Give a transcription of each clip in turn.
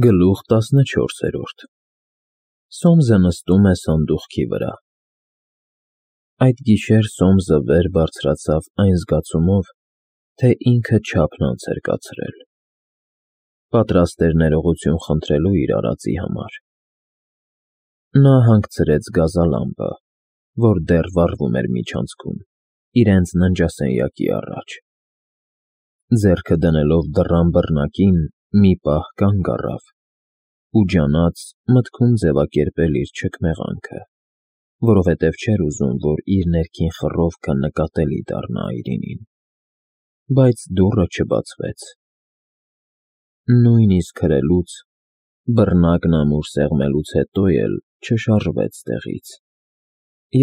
Գլուխ 14 Սոմզը նստում է սանդուղքի վրա։ Այդ գիշեր Սոմզը վեր բարձրացավ այն զգացումով, թե ինքը չափն անց էր կացրել։ Պատրաստ էր ներողություն խնդրելու իր արածի համար։ Նա հանգցրեց գազալամպը, որ դեռ վառվում էր միջանցքում, իրենց ննջասենյակի առաջ։ Ձեռքը դնելով դռան բռնակին, մի պահ կանգ առավ ու ջանաց մտքում ձևակերպել իր չքմեղանքը, որովհետև չէր ուզում, որ իր ներքին խռովքը նկատելի դառնա Այրինին, բայց դուռը չբացվեց։ Նույնիսկ հրելուց, բռնակն ամուր սեղմելուց հետո էլ չշարժվեց տեղից։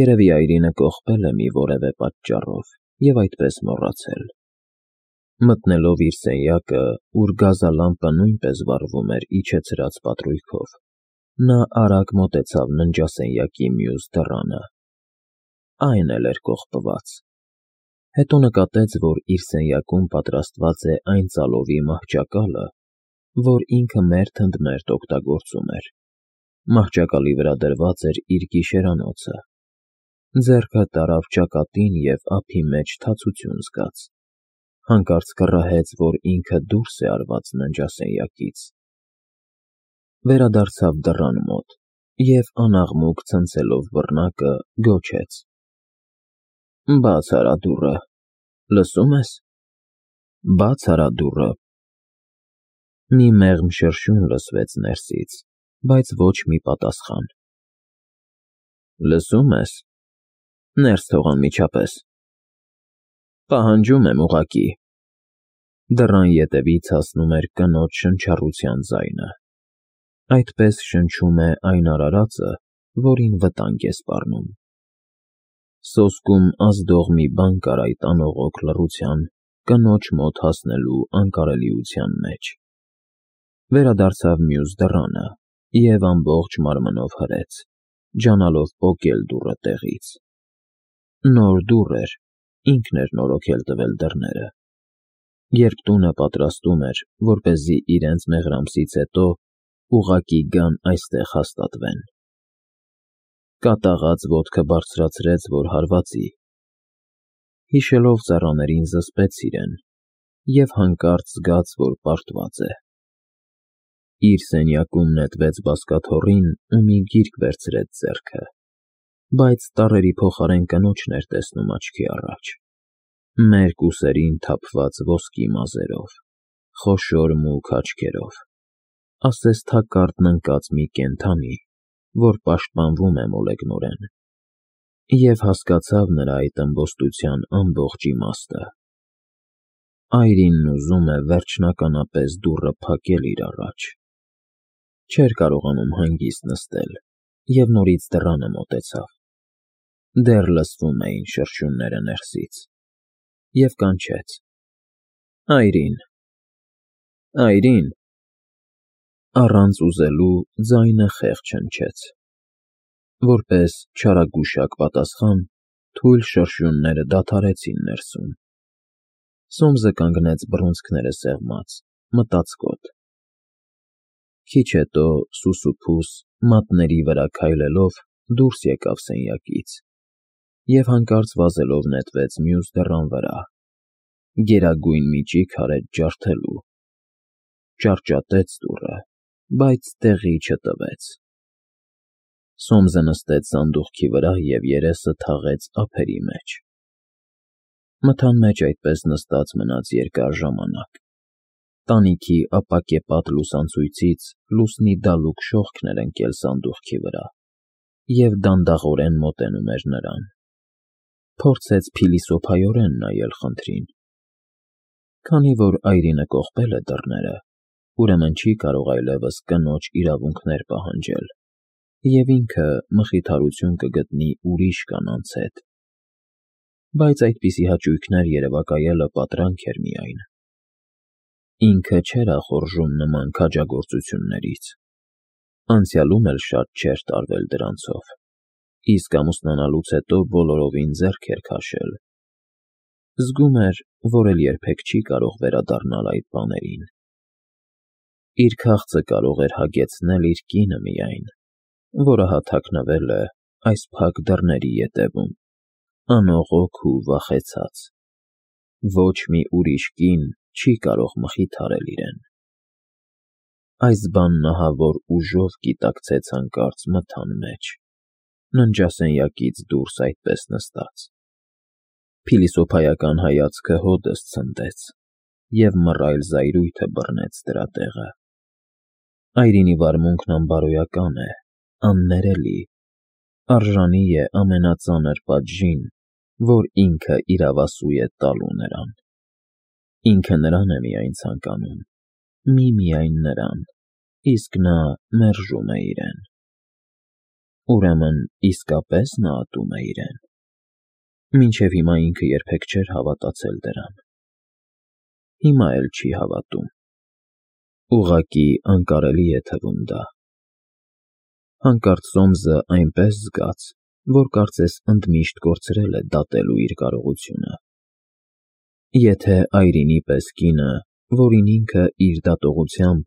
Երևի Այրինը կողպել է մի որևէ պատճառով և այդպես մոռացել։ Մտնելով իր սենյակը, ուր գազալամպը նույնպես վառվում էր իջեցրած պատրույգով, նա արագ մոտեցավ ննջասենյակի մյուս դռանը։ Այն էլ էր կողպված։ Հետո նկատեց, որ իր սենյակում պատրաստված է այն ծալովի մահճակալը, որ ինքը մերթընդմերթ օգտագործում էր։ Մահճակալի վրա դրված էր իր գիշերանոցը։ Ձեռքը տարավ ճակատին և ափի մեջ թացություն զգաց։ Հանկարծ կռահեց, որ ինքը դուրս է արված ննջասենյակից։ Վերադարձավ դռան մոտ և անաղմուկ ցնցելով բռնակը գոչեց. «Բաց արա դուռը, լսում ես»։ Բաց արա դուռը։ Մի մեղմ շրշյուն լսվեց ներսից, բայց ոչ մի պատասխան։ Լսում ես, ներս թող անմիջապես։ Պահանջում եմ ուղղակի։ Դռան ետևից հասնում էր կնոջ շնչառության ձայնը։ Այդպես շնչում է այն արարածը, որին վտանգ է սպառնում։ Սոսկում ազդող մի բան կար այդ անողոք լռության, կնոջ մոտ հասնելու անկարելիության մեջ։ Վերադարձավ մյուս դռանը և ամբողջ մարմնով հրեց, ջանալով պոկել դուռը տեղից։ Նոր դուռ էր, ինքն էր նորոգել տվել դռները։ Երբ տունը պատրաստում էր, որպեսզի իրենց մեղրամսից հետո ուղղակի գան այստեղ հաստատվեն։ Կատաղած ոտքը բարձրացրեց, որ հարվածի։ Հիշելով ծառաներին զսպեց իրեն և հանկարծ զգաց, որ պարտված է։ Իր սենյակում նետվեց բազկաթոռին ու մի գիրք վերցրեց ձեռքը, բայց տառերի փոխարեն կնոջն էր տեսնում աչքի առաջ։ Մերկ ուսերին թափված ոսկի մազերով, խոշոր մուգ աչքերով, ասես թակարդն ընկած մի կենդանի, որ պաշտպանվում է մոլեգնորեն, և հասկացավ նրա այդ ըմբոստության ամբողջ իմաստը։ Այրինն ուզում է վերջնականապես դուռը փակել իր առաջ։ Չէր կարողանում հանգիստ նստել և նորից դռանը մոտեցավ։ Դեռ լսվում էին շրշյունները ներսից։ Եվ կանչեց. Այրին, Այրին։ Առանց ուզելու ձայնը խեղճ հնչեց։ Որպես չարագուշակ պատասխան, թույլ շրշյունները դադարեցին ներսում։ Սոմզը կանգնեց բռունցքները սեղմած, մտածկոտ։ Քիչ հետո սուսուփուս մատների վրա քայլելով դուրս եկավ սենյակից և հանկարծ վազելով նետվեց մյուս դռան վրա, գերագույն միջիկ արեց ջարդելու։ Ճարճատեց դուռը, բայց տեղի չտվեց։ Սոմզը նստեց սանդուղքի վրա և երեսը թաղեց ափերի մեջ։ Մթան մեջ այդպես նստած մնաց երկար ժամանակ։ Տանիքի ապակեպատ լուսանցույցից լուսնի դալուկ շողքն էր ընկել սանդուղքի վրա և դանդաղորեն մոտենում էր նրան։ Փորձեց փիլիսոփայորեն նայել խնդրին։ Քանի որ Այրինը կողպել է դռները, ուրեմն չի կարող այլևս կնոջ իրավունքներ պահանջել, և ինքը մխիթարություն կգտնի ուրիշ կանանց հետ։ Բայց այդպիսի հաճույքներ երևակայելը պատրանք էր միայն։ Ինքը չէր ախորժում նման քաջագործություններից։ Անցյալում էլ շատ չէր տարվել դրանցով, իսկ ամուսնանալուց հետո բոլորովին ձեռք էր քաշել։ Զգում էր, որ էլ երբեք չի կարող վերադառնալ այդ բաներին։ Իր քաղցը կարող էր հագեցնել իր կինը միայն, որը հաթաքնվել է այս փակ դռների ետևում, անողոք ու վախեցած։ Ոչ մի ուրիշ կին չի կարող մխիթարել իրեն։ Այս բանն ահավոր ուժով գիտակցեց հանկարծ մթան մեջ, ննջասենյակից դուրս այդպես նստած։ Փիլիսոփայական հայացքը հօդս ցնդեց և մռայլ զայրույթը բռնեց դրա տեղը։ Այրինի վարմունքն անբարոյական է, աններելի, արժանի է ամենածանր պատժին, որ ինքը իրավասու է տալու նրան։ Ինքը նրան է միայն ցանկանում, միմիայն նրան, իսկ նա մերժում է իրեն։ Ուրեմն իսկապես նա ատում է իրեն։ Մինչև հիմա ինքը երբեք չէր հավատացել դրան։ Հիմա էլ չի հավատում։ Ուղղակի անկարելի է թվում դա։ Հանկարծ Սոմսը այնպես զգաց, որ կարծես ընդմիշտ կորցրել է դատելու իր կարողությունը։ Եթե Այրինի պես կինը, որին ինքը իր դատողությամբ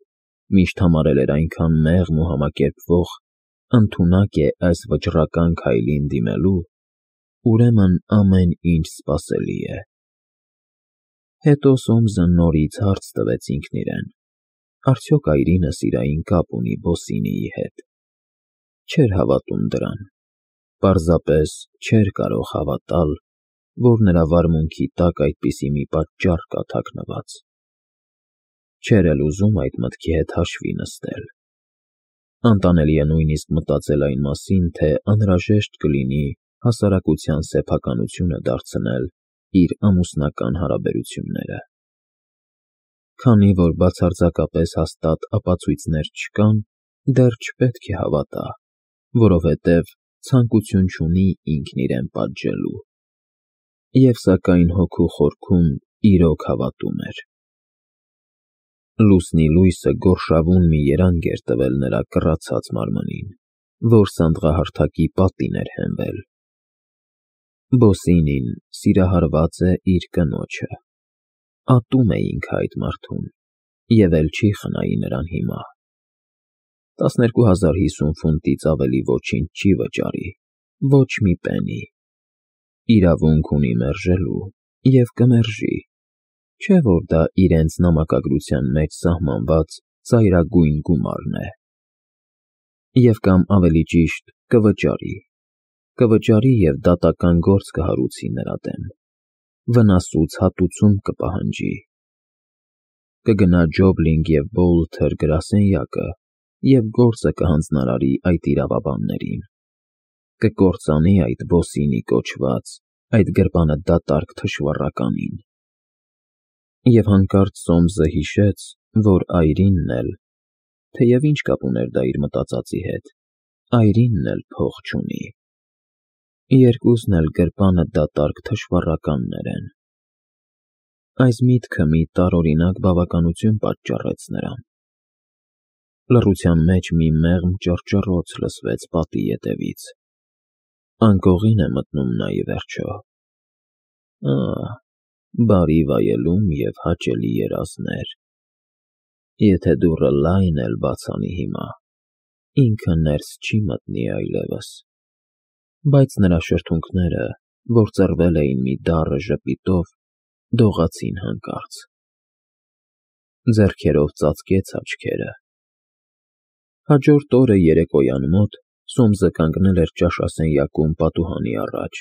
միշտ համարել էր այնքան մեղմ ու համակերպվող, ընդունակ է այս վճռական քայլին դիմելու, ուրեմն ամեն ինչ սպասելի է։ Հետո Սոմսը նորից հարց տվեց ինքն իրեն. արդյոք Այրինը սիրային կապ ունի Բոսինիի հետ։ Չէր հավատում դրան, պարզապես չէր կարող հավատալ, որ նրա վարմունքի տակ այդպիսի մի պատճառ կա թաքնված։ Չէր էլ ուզում այդ մտքի հետ հաշվի նստել։ Անտանելի է նույնիսկ մտածել այն մասին, թե անհրաժեշտ կլինի հասարակության սեփականությունը դարձնել իր ամուսնական հարաբերությունները։ Քանի որ բացարձակապես հաստատ ապացույցներ չկան, դեռ չպետք է հավատա, որովհետև ցանկություն չունի ինքն իրեն պատժելու։ Եվ սակայն հոգու խորքում իրոք հավատում էր։ Լուսնի լույսը գորշավուն մի երանգ էր տվել նրա կռացած մարմնին, որ սանդղահարթակի պատին էր հենվել։ Բոսինին սիրահարված է իր կնոջը։ Ատում է ինքը այդ մարդուն և էլ չի խնայի նրան հիմա։ 12050 ֆունտից ավելի ոչինչ չի վճարի, ոչ մի պենի։ Իրավունք ունի մերժելու և կմերժի, չէ՞ որ դա իրենց նամակագրության մեջ սահմանված ծայրագույն գումարն է։ Եվ կամ ավելի ճիշտ կվճարի և դատական գործ կհարուցի նրա դեմ, վնասուց հատուցում կպահանջի։ Կգնա Ջոբլինգ և Բոլթեր գրասենյակը և գործը կհանձնարարի այդ իրավաբաններին։ Կկործանի այդ Բոսինի կոչված, այդ գրպանադատարկ թշվառականին։ Եվ հանկարծ Սոմսը հիշեց, որ Այրինն էլ, թեև ինչ կապ ուներ դա իր մտածածի հետ, Այրինն էլ փող չունի։ Երկուսն էլ գրպանադատարկ թշվառականներ են։ Այս միտքը մի տարօրինակ բավականություն պատճառեց նրան։ Լռության մեջ մի մեղմ ճռճռոց լսվեց պատի ետևից։ Անկողին է մտնում նա ի վերջո։ Բարի վայելում և հաճելի երազներ։ Եթե դուռը լայն էլ բաց անի հիմա, ինքը ներս չի մտնի այլևս։ Բայց նրա շրթունքները, որ ծռվել էին մի դառը ժպիտով, դողացին հանկարծ։ Ձեռքերով ծածկեց աչքերը։ Հաջորդ օրը երեկոյան մոտ Սոմսը կանգնել էր ճաշասենյակում պատուհանի առաջ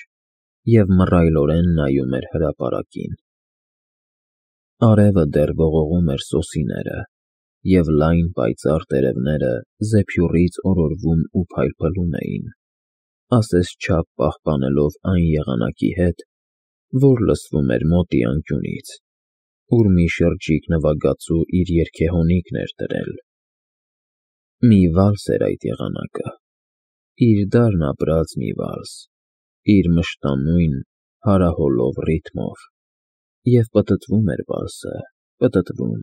և մռայլորեն նայում էր հրապարակին։ Արևը դեռ ողողում էր սոսիները, և լայն պայծառ տերևները զեփյուռից օրորվում ու փայլփլում էին, ասես չափ պահպանելով այն եղանակի հետ, որ լսվում էր մոտի անկյունից, ուր մի շրջիկ նվագածու իր երգեհոնիկն էր դրել։ Մի վալս էր այդ եղանակը, իր դարն ապրած մի վալս, իր մշտանյուն հարահոլով ռիթմով։ Եվ պտտվում էր վալսը, պտտվում,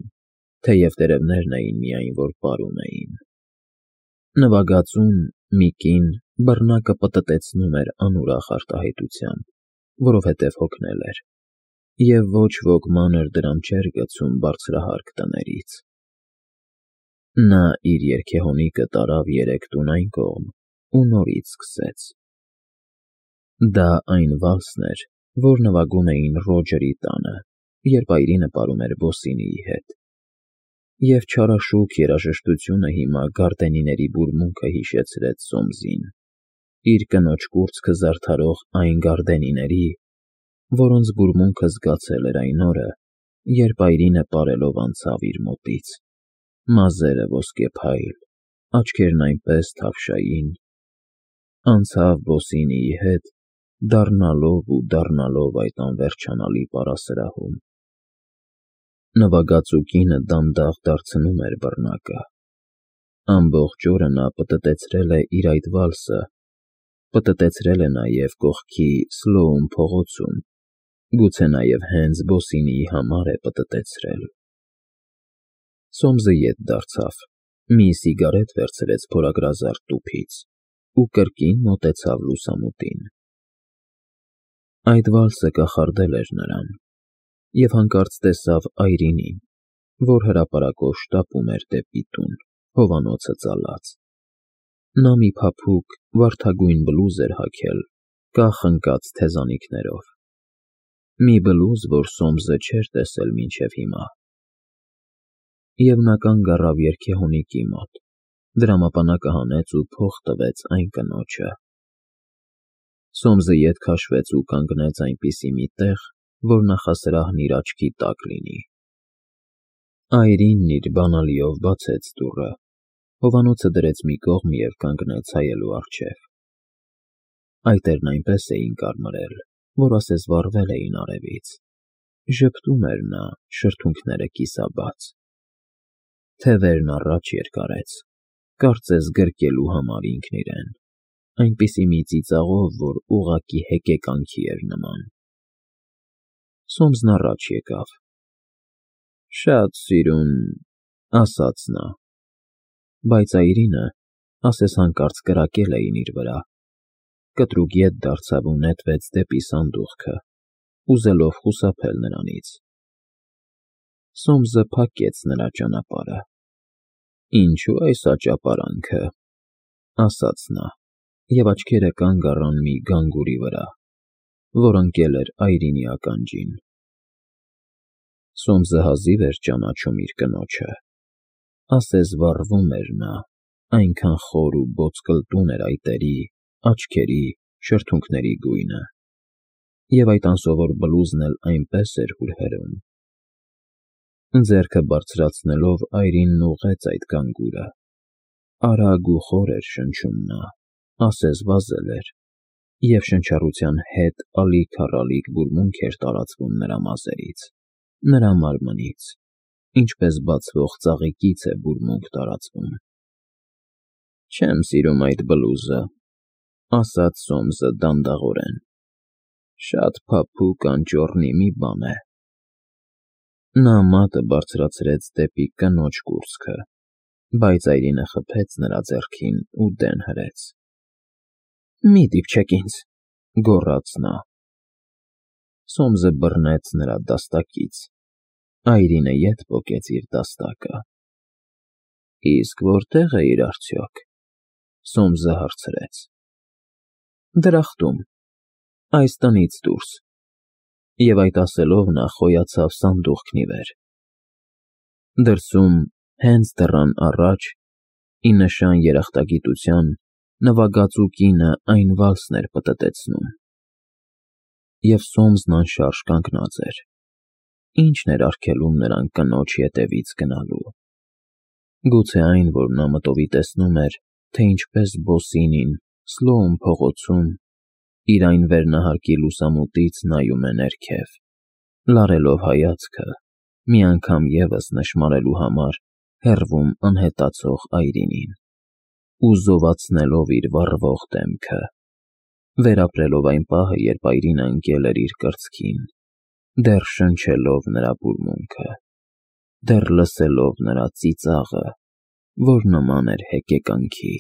թեև տերևներն էին միայն, որ պարում էին։ Նվագածուն՝ մի կին, բռնակը պտտեցնում էր անուրախ արտահայտությամբ, որովհետև հոգնել էր, և ոչ ոք մանր դրամ չէր գցում բարձրահարկ տներից։ Նա իր երգեհոնիկը տարավ 3 տուն այն կողմ ու նորից սկսեց։ Դա այն վալսն էր, որ նվագում էին Ռոջերի տանը, երբ Այրինը պարում էր Բոսինիի հետ։ Եվ չարաշուք երաժշտությունը հիմա գարդենիների բուրմունքը հիշեցրեց Սոմսին, իր կնոջ կուրծքը զարդարող այն գարդենիների, որոնց բուրմունքը զգացել էր այն օրը, երբ Այրինը պարելով անցավ իր մոտից, մազերը ոսկեփայլ, աչքերն այնպես թավշային, անցավ Բոսինիի հետ, դառնալով ու դառնալով այդ անվերջանալի պարասրահում։ Նվագածու կինը դանդաղ դարձնում էր բռնակը։ Ամբողջ օրը նա պտտեցրել է իր այդ վալսը, պտտեցրել է նաև կողքի Սլոուն փողոցում, գուցե նաև հենց Բոսինիի համար է պտտեցրել։ Սոմսը ետ դարձավ, մի սիգարետ վերցրեց փորագրազարդ տուփից ու կրկին մոտեցավ լուսամուտին։ Այդ վալսը կախարդել էր նրան, և հանկարծ տեսավ Այրինին, որ հրապարակով շտապում էր դեպի տուն, հովանոցը ծալած։ Նա մի փափուկ վարդագույն բլուզ էր հագել, կախ ընկած թեզանիքներով, մի բլուզ, որ Սոմսը չէր տեսել մինչև հիմա։ Եվ նա կանգ առավ երգեհոնիկի մոտ, դրամապանակը հանեց ու փող տվեց այն կնոջը։ Սոմսը ետ քաշվեց ու կանգնեց այնպիսի մի տեղ, որ նախասրահն իր աչքի տակ լինի։ Այրինն իր բանալիով բացեց դուռը, հովանոցը դրեց մի կողմ և կանգնեց հայելու առջև։ Այտերն այնպես էին կարմրել, որ ասես վառվել էին արևից։ Ժպտում էր նա, շրթունքները կիսաբաց։ Թևերն առաջ երկարեց, կարծես գրկելու համար ինքն իրեն, այնպիսի մի ծիծաղով, որ ուղղակի հեկեկանքի էր նման։ Սոմսն առաջ եկավ։ «Շատ սիրուն», ասաց նա, բայց Այրինը, ասես հանկարծ կրակել էին իր վրա, կտրուկ ետ դարձավ ու նետվեց դեպի սանդուղքը, ուզելով խուսափել նրանից։ Սոմսը փակեց նրա ճանապարհը։ «Ինչու այս աճապարանքը», ասաց նա, և աչքերը կանգ առան մի գանգուրի վրա, որ ընկել էր Այրինի ականջին։ Սոմսը հազիվ էր ճանաչում իր կնոջը, ասես վառվում էր նա, այնքան խոր ու բոծկլտուն էր այտերի, աչքերի, շրթունքների գույնը, և այդ անսովոր բլուզն էլ այնպես էր հուրհրում։ Ձեռքը բարձրացնելով Այրինն ուղղեց այդ գանգուրը։ Արագ ու խոր էր շնչում նա, ասես վազել էր, և շնչառության հետ ալիք-առալիք բուրմունք էր տարածվում նրա մազերից, նրա մարմնից, ինչպես բացվող ծաղիկից է բուրմունք տարածվում։ «Չեմ սիրում այդ բլուզը», ասաց Սոմսը դանդաղորեն։ «Շատ փափուկ անճոռնի մի բան է»։ Նա մատը բարձրացրեց դեպի կնոջ կուրծքը, բայց Այրինը խփեց նրա ձեռքին ու դեն հրեց։ «Մի դիպչեք ինձ», գոռաց նա։ Սոմսը բռնեց նրա դաստակից։ Այրինը ետ պոկեց իր դաստակը։ «Իսկ որտե՞ղ էիր արդյոք», Սոմսը հարցրեց։ «Դրախտում, այս տնից դուրս», և այդ ասելով նա խոյացավ սանդուղքն ի վեր։ Դրսում, հենց դռան առաջ, ի նշան երախտագիտության, նվագածու կինը այն վալսն էր պտտեցնում։ Եվ Սոմսն անշարժ կանգնած էր։ Ի՞նչն էր արգելում նրան կնոջ ետևից գնալու։ Գուցե այն, որ նա մտովի տեսնում էր, թե ինչպես Բոսինին Սլոուն փողոցում իր այն վերնահարկի լուսամուտից նայում է ներքև, լարելով հայացքը, մի անգամ ևս նշմարելու համար հեռվում անհետացող Այրինին, ու զովացնելով իր վառվող դեմքը, վերապրելով այն պահը, երբ Այրինը ընկել էր իր կրծքին, դեռ շնչելով նրա բուրմունքը, դեռ լսելով նրա ծիծաղը, որ նման էր հեկեկանքի։